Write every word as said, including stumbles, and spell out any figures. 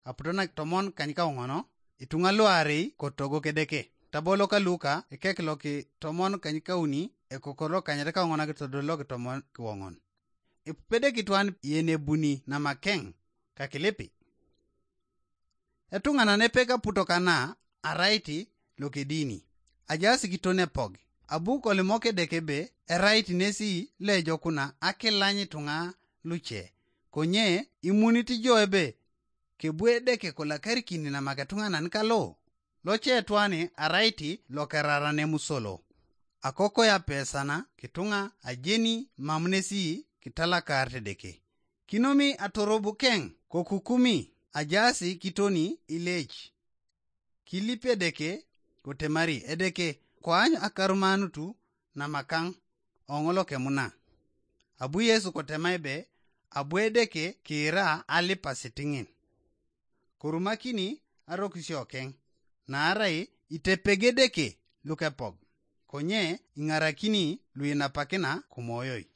aputo na tomon kanykaoŋono, ituŋa luarei kotogo kedeke. Tabolo ka Luka ekek loki tomon kanykauni, ekokor lokanyet kaoŋon akitodol loki tomon kiwoŋon. Ipupedeki twan yenebuni namakeŋ kakilipi. Etuŋanan epek aputo kana arait lokedini, ajaas kiton epog. Abu kolimok Edeke ebe erait nesi loejokuna akilany ituŋa luce, konye imunit jo ebe kebu Edeke kolakarikini namak etuŋanan kalo? Loce etwani arait lokerara nemusolo. Akokoya pesana kituŋa ajeni mam nesi kitalakar Edeke. Kinomi atorobukeŋ kokukumi ajaasi kitoni ilec. Kilip Edeke kotemari Edeke koany akarumanutu namakaŋ oŋolokemuna. Abu Yesu kotema ebe abu Edeke kiira alipasitiŋin. Korumakini arokisiokeŋ, naarai itepegedeke lukepog, konye iŋarakini luinapakina kumoyoi.